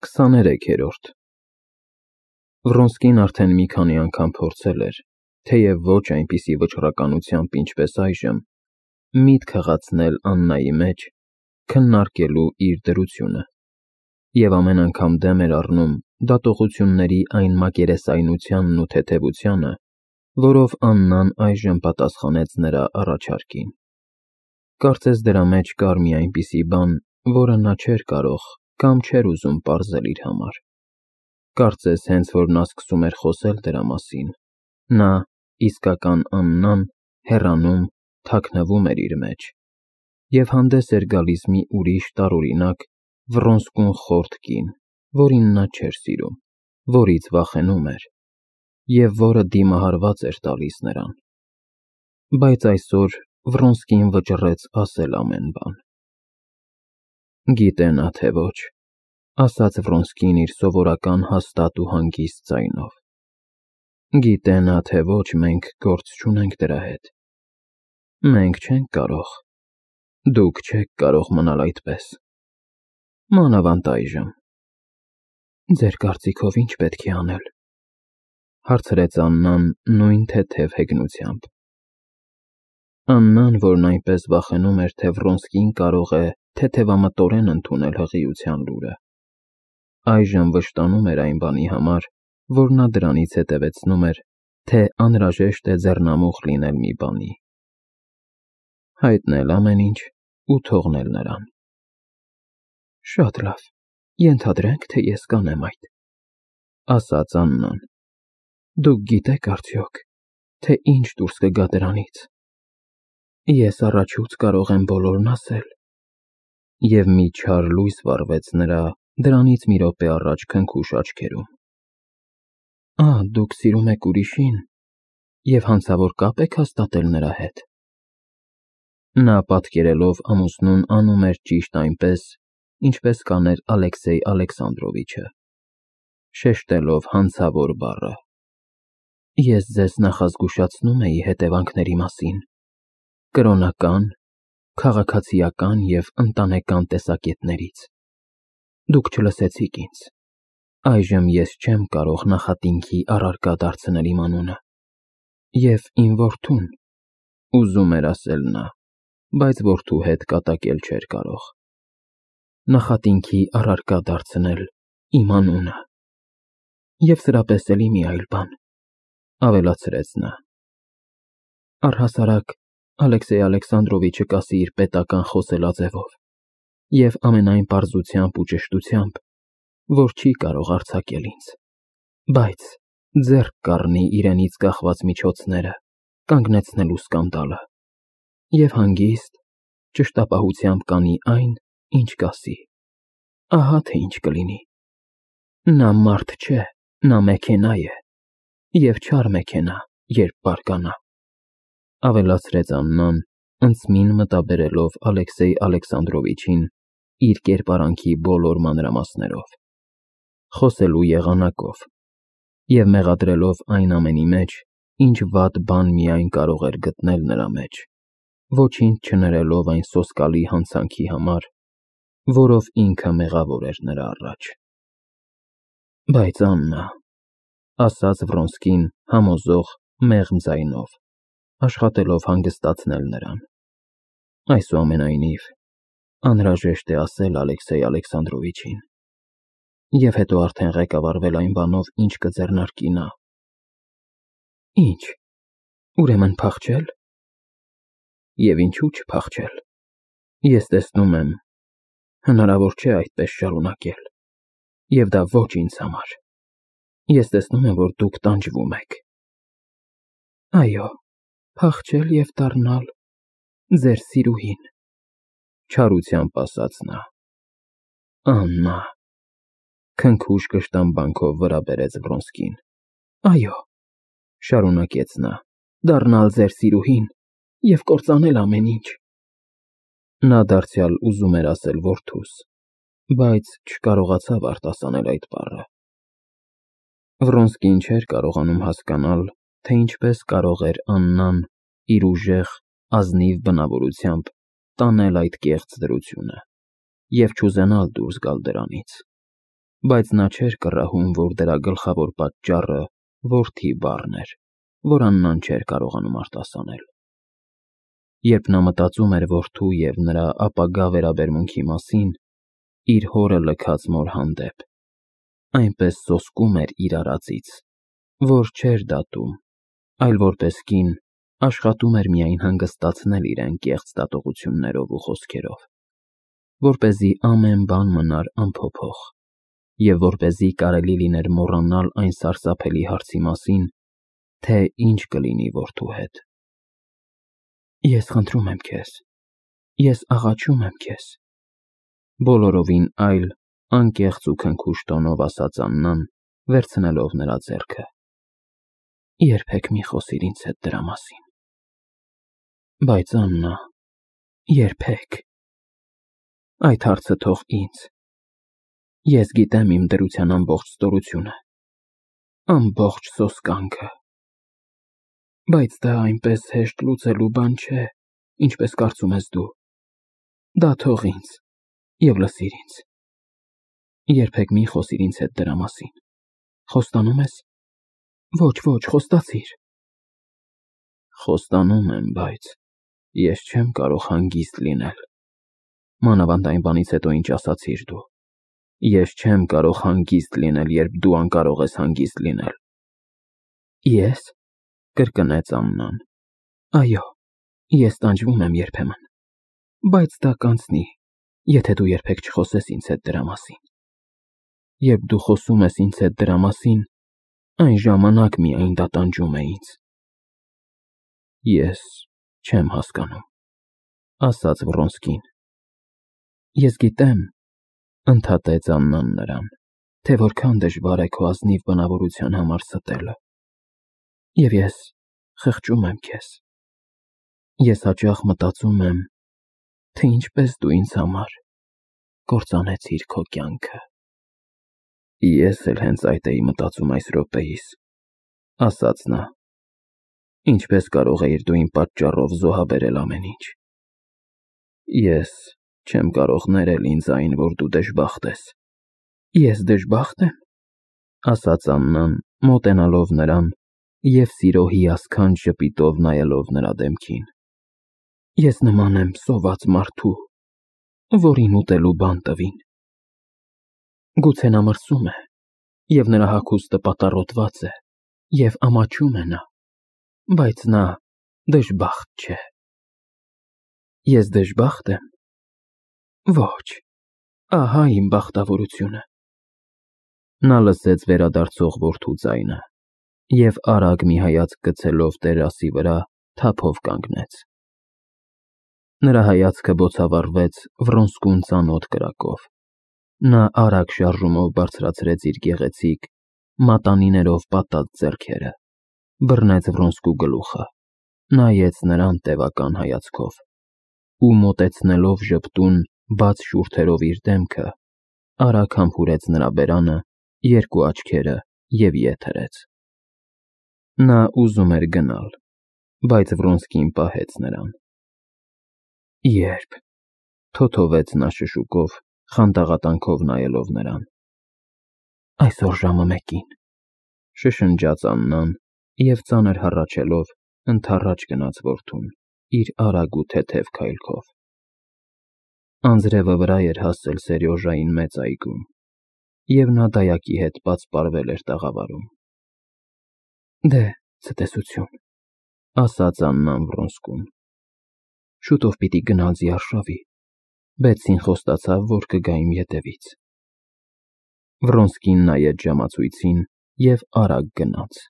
23-րդ Վրոնսկին արդեն մի քանի անգամ փորձել էր, թեև ոչ այնպիսի վճռականությամբ, ինչպես այժմ, միտք հղացնել Աննայի մեջ, քննարկելու իր դրությունը, և ամեն անգամ դեմ էր առնում դատողությունների այն մակերեսայնությանն ու թեթևությանը, որով Աննան այժմ պատասխանեց նրա առաջարկին։ Կարծես դրա մեջ կար մի այնպիսի բան, որը նա չէր կարող կամ չէր ուզում պարզել իր համար։ Կարծես հենց որ նա սկսում էր խոսել դրա մասին, նա, իսկական Աննան, հեռանում, թաքնվում էր իր մեջ, և հանդես էր գալիս մի ուրիշ տարօրինակ, վռոնսկուն խորթ կին, որին նա չէր սիրում, որից վախենում էր, և որը դիմահարված էր տալիս նրան։ Բայց այսօր Վռոնսկին վճռեց ասել ամեն բան։ Գիտե նա, թե ոչ, ասաց Վռոնսկին իր սովորական հաստատ ու հանգիստ ձայնով։ Գիտե նա, թե ոչ, մենք գործ չունենք դրա հետ։ Մենք չենք կարող, դուք չեք կարող մնալ այդպես, մանավանդ այժմ։ Ձեր կարծիքով ինչ պետք է անել, հարցրեց Աննան նույն թեթև հեգնությամբ։ Աննան, որն այնպես վախենում էր, թե Վռոնսկին կարող է թեթևամտորեն ընդունել հղիության լուրը, այժմ վշտանում էր այն բանի համար, որ նա դրանից հետևեցնում էր, թե անհրաժեշտ է ձեռնամուխ լինել մի բանի։ Հայտնել ամեն ինչ ու թողնել նրան։ Շատ լավ, ենթադրենք, թե ես կանեմ այդ, ասաց Աննան։ Դուք գիտեք արդյոք, թե ինչ դուրս կգա դրանից։ Ես առաջուց կարող եմ բոլորն ասել։ Եվ մի չար լույս վառվեց նրա դրանից մի րոպե առաջ քնքուշ աչքերում։ Դուք սիրում եք ուրիշին և հանցավոր կապ եք հաստատել նրա հետ։ Նա պատկերելով ամուսնուն անում էր ճիշտ այնպես, ինչպես կաներ Ալեքսեյ Ալեքսանդրովիչը, շեշտելով հանցավոր բառը։ Ես ձեզ նախազգուշացնում էի հետևանքների մասին, կրոնական, քաղաքացիական և ընտանեկան տեսակետներից։ Դուք չլսեցիք ինձ։ Այժմ ես չեմ կարող նախատինքի առարկա դարձնել իմ անունը։ Եվ իմ որդուն, ուզում էր ասել նա, բայց որդու հետ կատակել չէր կարող։ Նախատինքի առարկա դարձնել իմ անունը։ Եվ սրա պես էլի մի այլ բան, ավելացրեց նա։ Առհասարակ Ալեքսեյ Ալեքսանդրովիչը կասի իր պետական խոսելաձևով և ամենայն պարզությամբ ու ճշտությամբ, որ չի կարող արձակել ինձ, բայց ձեռք կառնի իրենից կախված միջոցները կանգնեցնելու սկանդալը և հանգիստ, ճշտապահությամբ կանի այն, ինչ կասի։ Ահա թե ինչ կլինի։ Նա մարդ չէ, նա մեքենա է, և չար մեքենա, երբ բարկանա, ավելացրեց Աննան, ընծմին մտաբերելով Ալեքսեյ Ալեքսանդրովիչին իր կերպարանքի բոլոր մանրամասներով, խոսելու եղանակով և մեղադրելով այն ամենի մեջ, ինչ վատ բան միայն կարող էր գտնել նրա մեջ, ոչինչ չներելով այն սոսկալի հանցանքի համար, որով ինքը մեղավոր էր նրա առաջ։ Բայց Աննա, ասաց Վռոնսկին համոզող, մեղմ ձայնով, աշխատելով հանգստացնել նրան, այսուամենայնիվ, անհրաժեշտ է ասել Ալեքսեյ Ալեքսանդրովիչին, և հետո արդեն ղեկավարվել այն բանով, ինչ կձեռնարկի նա։ Ինչ, ուրեմն փախչել։ Եվ ինչու չփախչել։ Ես տեսնում եմ, հնարավոր չէ այդպես շարունակել, և դա ոչ ինձ համար։ Ես տեսնում եմ, որ դուք տանջվում եք։ Այո, փախչել և դառնալ ձեր սիրուհին, չարությամբ ասաց նա։ Աննա, քնքուշ կշտամբանքով վրա բերեց Վռոնսկին։ Այո, շարունակեց նա, դառնալ ձեր սիրուհին և կործանել ամեն ինչ։ Նա դարձյալ ուզում էր ասել որդուս, բայց չկարողացավ արտասանել այդ բառը։ Վռոնսկին չէր կարողանում հասկանալ, թե ինչպես կարող էր Աննան իր ուժեղ, ազնիվ բնավորությամբ տանել այդ կեղծ դրությունը և չուզենալ դուրս գալ դրանից։ բայց նա չէր կռահում, որ դրա գլխավոր պատճառը որդի բառն էր, որ Աննան չէր կարողանում արտասանել։ Երբ նա մտածում էր որդու և նրա ապագա վերաբերմունքի մասին, իր հորը լքած մոր հանդեպ, այնպես սոսկում էր իր արածից, որ չէր դատում, այլ որպես կին աշխատում էր միայն հանգստացնել իրեն կեղծ դատողություններով ու խոսքերով, որպեսզի ամեն բան մնար անփոփոխ, և որպեսզի կարելի լիներ մոռանալ այն սարսափելի հարցի մասին, թե ինչ կլինի որդու հետ։ Ես խնդրում եմ քեզ, ես աղաչում եմ քեզ, բոլորովին այլ անկեղծ ու քնքուշ տոնով ասաց Աննան, վերցնելով նրա ձեռքը։ Երբեք մի խոսիր ինձ հետ դրա մասին։ Բայց Աննա, երբեք։ Այդ հարցը թող ինձ։ Ես գիտեմ իմ դրության ամբողջ ստորությունը, ամբողջ սոսկանքը։ Բայց դա այնպես հեշտ լուծելու բան չէ, ինչպես կարծում ես դու։ Դա թող ինձ և լսիր ինձ։ Երբեք մի խոսիր ինձ հետ դրա մասին։ Խոստանում ես։ Ոչ, խոստացիր։ Խոստանում եմ, բայց ես չեմ կարող հանգիստ լինել։ Մանավանդ այն բանից հետո, ինչ ասացիր դու։ Ես չեմ կարող հանգիստ լինել, երբ դու անկարող ես հանգիստ լինել։ Ես, կրկնեց Աննան։ Այո, ես տանջվում եմ երբեմն, բայց դա կանցնի, եթե դու երբեք չխոսես ինձ հետ դրա մասին։ Երբ դու խոսում ես ինձ հետ դրա մասին, այն ժամանակ միայն դա տանջում է ինձ։ Ես չեմ հասկանում, ասաց Վռոնսկին։ Ես գիտեմ, ընդհատեց Աննան նրան, թե որքան դժվար է քո ազնիվ բնավորության համար ստելը։ Եվ ես խղճում եմ քեզ։ Ես հաճախ մտածում եմ, թե ինչպես դու ինձ համար կործանեցիր քո կյանքը։ Ես էլ հենց այդ էի մտածում այս րոպեիս, ասաց նա։ Ինչպես կարող էիր դու իմ պատճառով զոհաբերել ամեն ինչ։ Ես չեմ կարող ներել ինձ այն, որ դու դժբախտ ես։ Ես դժբախտ եմ, ասաց Աննան, մոտենալով նրան և սիրո հիասքանչ ժպիտով նայելով նրա դեմքին։ Ես նման եմ սոված մարդու, որին ուտելու բան տվին։ Գուցե նա մրսում է, և նրա հագուստը պատառոտված է, և ամաչում է նա, բայց նա դժբախտ չէ։ Ես դժբախտ եմ։ Ոչ, ահա իմ բախտավորությունը։ Նա լսեց վերադարձող որդու ձայնը և արագ մի հայացք գցելով տերասի վրա թափով կանգնեց։ Նրա հայացքը բոցավառվեց Վռոնսկուն ծանոթ կրակով։ Նա արագ շարժումով բարձրացրեց իր գեղեցիկ, մատանիներով պատած ձեռքերը, բռնեց Վռոնսկու գլուխը, նայեց նրան տևական հայացքով ու մոտեցնելով ժպտուն, բաց շուրթերով իր դեմքը, արագ համբուրեց նրա բերանը, երկու աչքերը և ետ հրեց։ Նա ուզում էր գնալ, բայց Վռոնսկին պահեց նրան։ Երբ, թոթովեց նա շշուկով, խանդաղատանքով նայելով նրան։ Այսօր ժամը 1-ին, շշնջաց Աննան և ծանր հառաչելով ընդառաջ գնաց որդուն, իր արագ ու թեթև քայլքով։ Անձրևը վրա էր հասել Սերյոժային մեծ այգում, և նա դայակի հետ պատսպարվել էր տաղավարում։ Դե, ցտեսություն, ասաց Աննան Վռոնսկուն։ Շուտով պիտի գնալ ձիարշավի, Բեցսին խոստացավ, որ կգա իմ ետևից։ Վռոնսկին նայեց ժամացույցին և արագ գնաց։